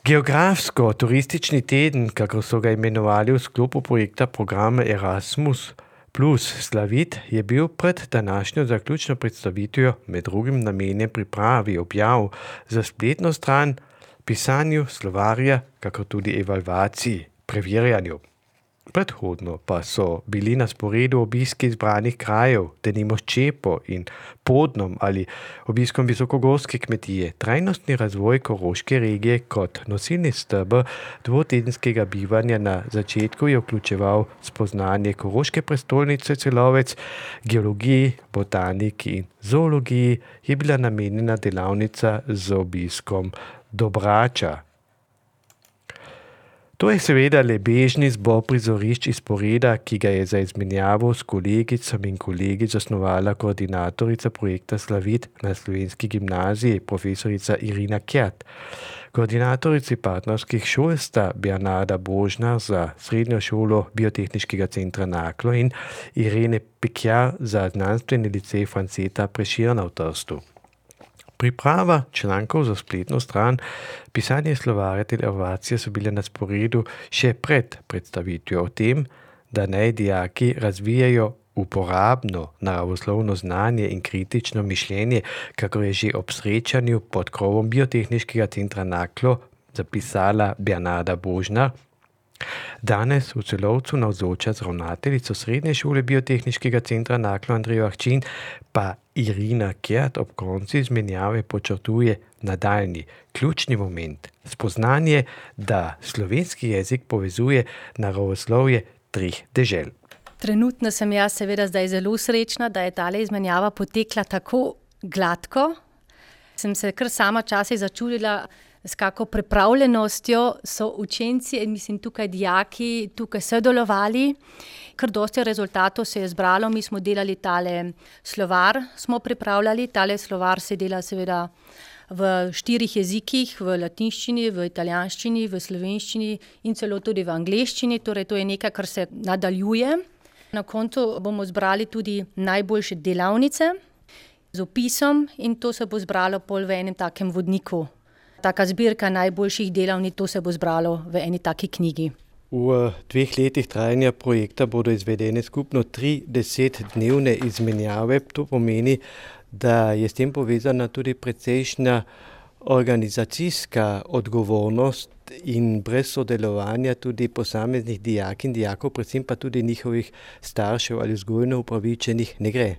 Geografsko-turistični teden, kako so ga imenovali v sklopu projekta programa Erasmus plus Slavit, je bil pred današnjo zaključno predstavitvijo med drugim namenjen pripravi objav za spletno stran, pisanju slovarja, kako tudi evalvaciji, preverjanju. Predhodno pa so bili na sporedu obiski izbranih krajev, denimo Ščepo in Podnom ali obiskom visokogorske kmetije, trajnostni razvoj koroške regije kot nosilni steber dvotedenskega bivanja na začetku je vključeval spoznanje koroške prestolnice Celovec, geologiji, botaniki in zoologiji je bila namenjena delavnica z obiskom Dobrača. To je seveda le bežni zbor prizorišč iz poreda, ki ga je za izmenjavo s kolegicami in kolegi zasnovala koordinatorica projekta Slavit na Slovenski gimnaziji, profesorica Irina Kjat. Koordinatorici partnerskih šol sta Bernarda Božnar za Srednjo šolo Biotehniškega centra Naklo in Irene Pekjar za znanstveni licej Franceta Prešerna v Trstu. Priprava člankov za spletno stran, pisanje slovarja ter evalvacije so bile na sporedu še pred predstavitvijo o tem, da naj dijaki razvijajo uporabno naravoslovno znanje in kritično mišljenje, kako je že ob srečanju pod krovom Biotehniškega centra Naklo zapisala Bernarda Božnar. Danes v Celovcu navzoča z ravnateljico Srednje šole Biotehniškega centra Naklo Andrejo Ahčin pa Irina Kjat ob koncu izmenjave počrtuje nadaljnji ključni moment, spoznanje, da slovenski jezik povezuje naravoslovje treh dežel. Trenutno sem jaz seveda zdaj zelo srečna, da je tale izmenjava potekla tako gladko. Sem se kar sama včasih začudila, s kako pripravljenostjo so učenci in mislim tukaj dijaki tukaj sodelovali. Kar dosti rezultatov se je zbralo, mi smo delali tale slovar, smo pripravljali, tale slovar se dela seveda v 4 jezikih, v latinščini, v italijanščini, v slovenščini in celo tudi v angleščini, torej to je nekaj, kar se nadaljuje. Na koncu bomo zbrali tudi najboljše delavnice z opisom in to se bo zbralo pol v enem takem vodniku. Taka zbirka najboljših delavnic, to se bo zbralo v eni taki knjigi. V 2 letih trajanja projekta bodo izvedene skupno 3 10-dnevne izmenjave. To pomeni, da je s tem povezana tudi precejšnja organizacijska odgovornost in brez sodelovanja tudi posameznih dijak in dijakov, predvsem pa tudi njihovih staršev ali vzgojno upravičenih ne gre.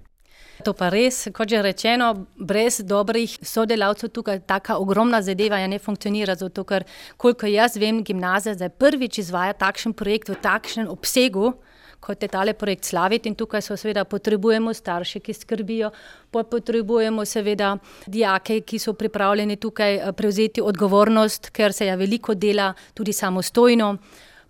To pa res, kot že rečeno, brez dobrih sodelavcev tukaj taka ogromna zadeva ne funkcionira, zato ker, koliko jaz vem, gimnazija zdaj prvič izvaja takšen projekt v takšnem obsegu, kot je tale projekt Slavit in tukaj so seveda potrebujemo starše, ki skrbijo, potrebujemo seveda dijake, ki so pripravljeni tukaj prevzeti odgovornost, ker se je veliko dela tudi samostojno.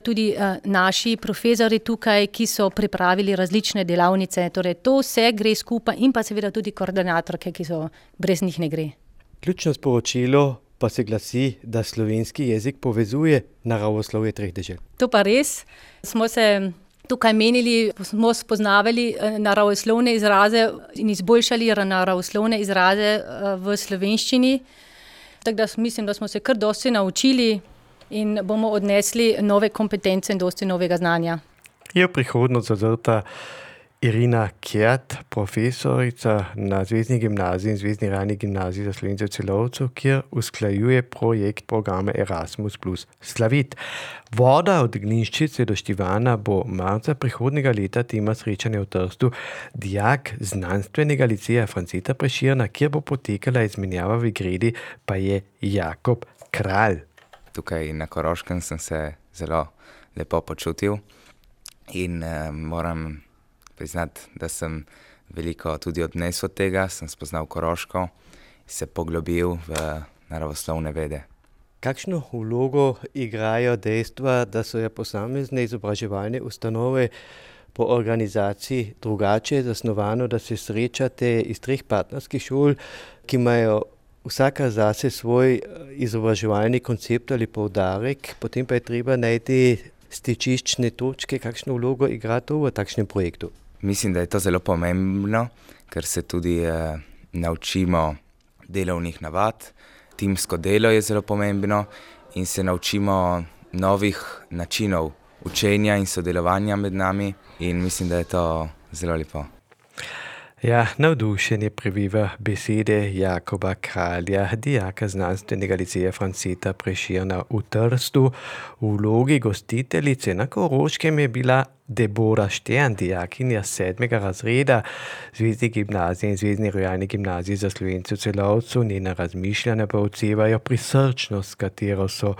Tudi naši profesorji tukaj, ki so pripravili različne delavnice, torej to vse gre skupaj in pa seveda tudi koordinatorke, ki so brez njih ne gre. Ključno sporočilo pa se glasi, da slovenski jezik povezuje naravoslovje treh dežel. To pa res. Smo se tukaj menili, smo spoznavali naravoslovne izraze in izboljšali naravoslovne izraze v slovenščini. Tako da mislim, da smo se kar dosti naučili in bomo odnesli nove kompetence in dosti novega znanja. Je v prihodnost zazrta Irina Kjat, profesorica na Zvezdni gimnaziji in Zvezdni rani gimnaziji za Slovence v Celovcu, kjer usklajuje projekt programa Erasmus plus Slavit. Voda od Glinščice do Štivana bo marca prihodnjega leta tema srečanja v Trstu. Dijak znanstvenega liceja Franceta Prešerna, kjer bo potekala izmenjava v Gredi, pa je Jakob Kralj. Tukaj na Koroškem sem se zelo lepo počutil in moram priznati, da sem veliko tudi odnesel od tega, sem spoznal Koroško in se poglobil v naravoslovne vede. Kakšno vlogo igrajo dejstva, da so posamezne izobraževalne ustanove po organizaciji drugače zasnovano, da se srečate iz 3 partnerskih šol, ki imajo vsaka zase svoj izobraževalni koncept ali poudarek, potem pa je treba najti stičiščne točke. Kakšno vlogo igra to v takšnem projektu? Mislim, da je to zelo pomembno, ker se tudi naučimo delovnih navad. Timsko delo je zelo pomembno in se naučimo novih načinov učenja in sodelovanja med nami in mislim, da je to zelo lepo. Ja, navdušenje prebiva besede Jakoba Kralja, dijaka znanstvenega liceja Franceta Prešerna v Trstu. V vlogi gostiteljice na Koroškem je bila Debora Štern, dijakinja 7. razreda Zvezdne gimnazije in Zvezdne rojalne gimnazije za Slovence v Celovcu. Njena razmišljanja pa odsevajo prisrčnost, s katero so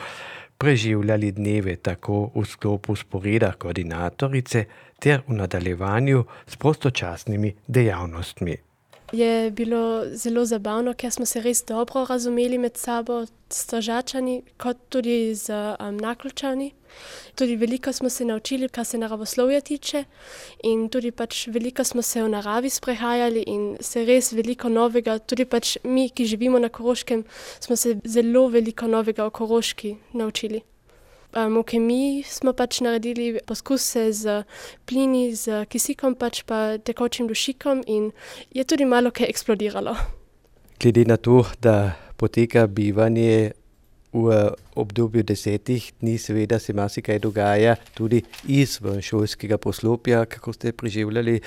preživljali dneve tako v sklopu sporeda koordinatorice ter v nadaljevanju s prostočasnimi dejavnostmi. Je bilo zelo zabavno, ker smo se res dobro razumeli med sabo, s Tržačani, kot tudi z Naključani. Tudi veliko smo se naučili, kar se naravoslovja tiče, in tudi veliko smo se v naravi sprehajali in se res veliko novega, tudi mi, ki živimo na Koroškem, smo se zelo veliko novega o Koroški naučili. V kemiji smo naredili poskuse z plini, z kisikom pa tekočim dušikom in je tudi malo kaj eksplodiralo. Glede na to, da poteka bivanje v obdobju 10 dni, seveda se marsikaj dogaja tudi izven šolskega poslopja. Kako ste preživljali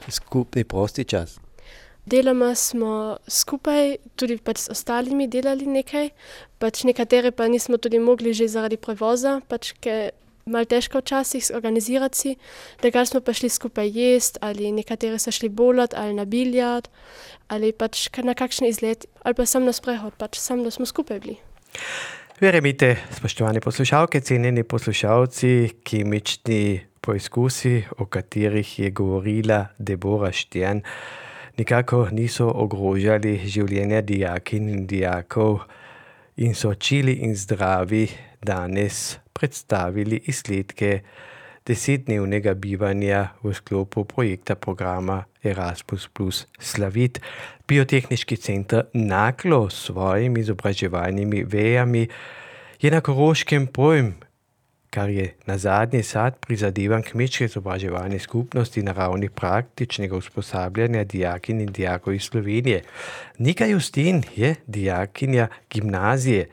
skupni prosti čas? Deloma smo skupaj, tudi s ostalimi delali nekaj, nekatere pa nismo tudi mogli že zaradi prevoza, ker malo težko včasih organizirati si, da smo pa šli skupaj jesti, ali nekateri so šli bolat, ali na biljard, ali na kakšen izlet, ali pa sam na sprehod, sam da smo skupaj bili. Verjemite, spoštovane poslušalke, cenjeni poslušalci, kemični poizkusi, o katerih je govorila Debora Štern, nikako niso ogrožali življenja dijakinj in dijakov in so čili in zdravi danes predstavili izsledke 10-dnevnega bivanja v sklopu projekta programa Erasmus plus Slavit. Biotehniški center Naklo s svojimi izobraževalnimi vejami je na Koroškem pojem, kar je nazadnje sad prizadevanj kmečke izobraževalne skupnosti na ravni praktičnega usposabljanja dijakinj in dijakov iz Slovenije. Nika Justin je dijakinja gimnazije.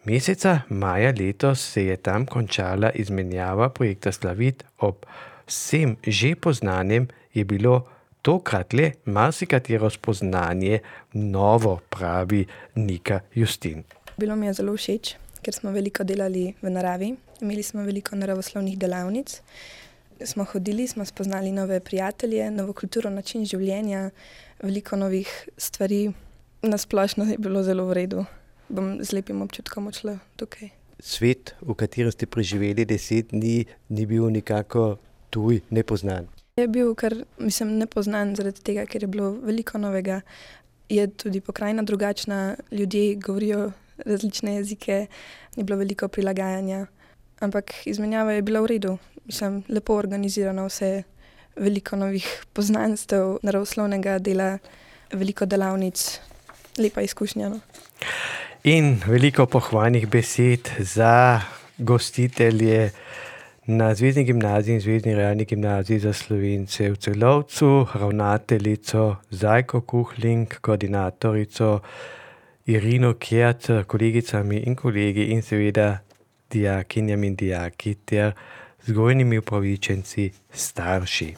Meseca maja letos se je tam končala izmenjava projekta Slavit. Ob vsem že poznanem je bilo tokrat le marsikatero spoznanje novo, pravi Nika Justin. Bilo mi je zelo všeč, ker smo veliko delali v naravi. Imeli smo veliko naravoslovnih delavnic. Smo hodili, smo spoznali nove prijatelje, novo kulturo, način življenja, veliko novih stvari. Na splošno je bilo zelo v redu. Bom z lepim občutkom odšla tukaj. Svet, v katerem ste preživeli 10 dni, ni bil nikako tuj, nepoznan. Je bil kar, nepoznan zaradi tega, ker je bilo veliko novega. Je tudi pokrajina drugačna, ljudje govorijo različne jezike, je bilo veliko prilagajanja. Ampak izmenjava je bila v redu. Lepo organizirano vse, veliko novih poznanstev, naravoslovnega dela, veliko delavnic, lepa izkušnja. No. In veliko pohvalnih besed za gostitelje na Zvezdni gimnaziji in Zvezdni rojalni gimnaziji za Slovence v Celovcu, ravnateljico Zajko Kuhling, koordinatorico Irino Kert, kolegicami in kolegi in seveda dijakinjami in dijaki ter vzgojnimi upravičenci starši.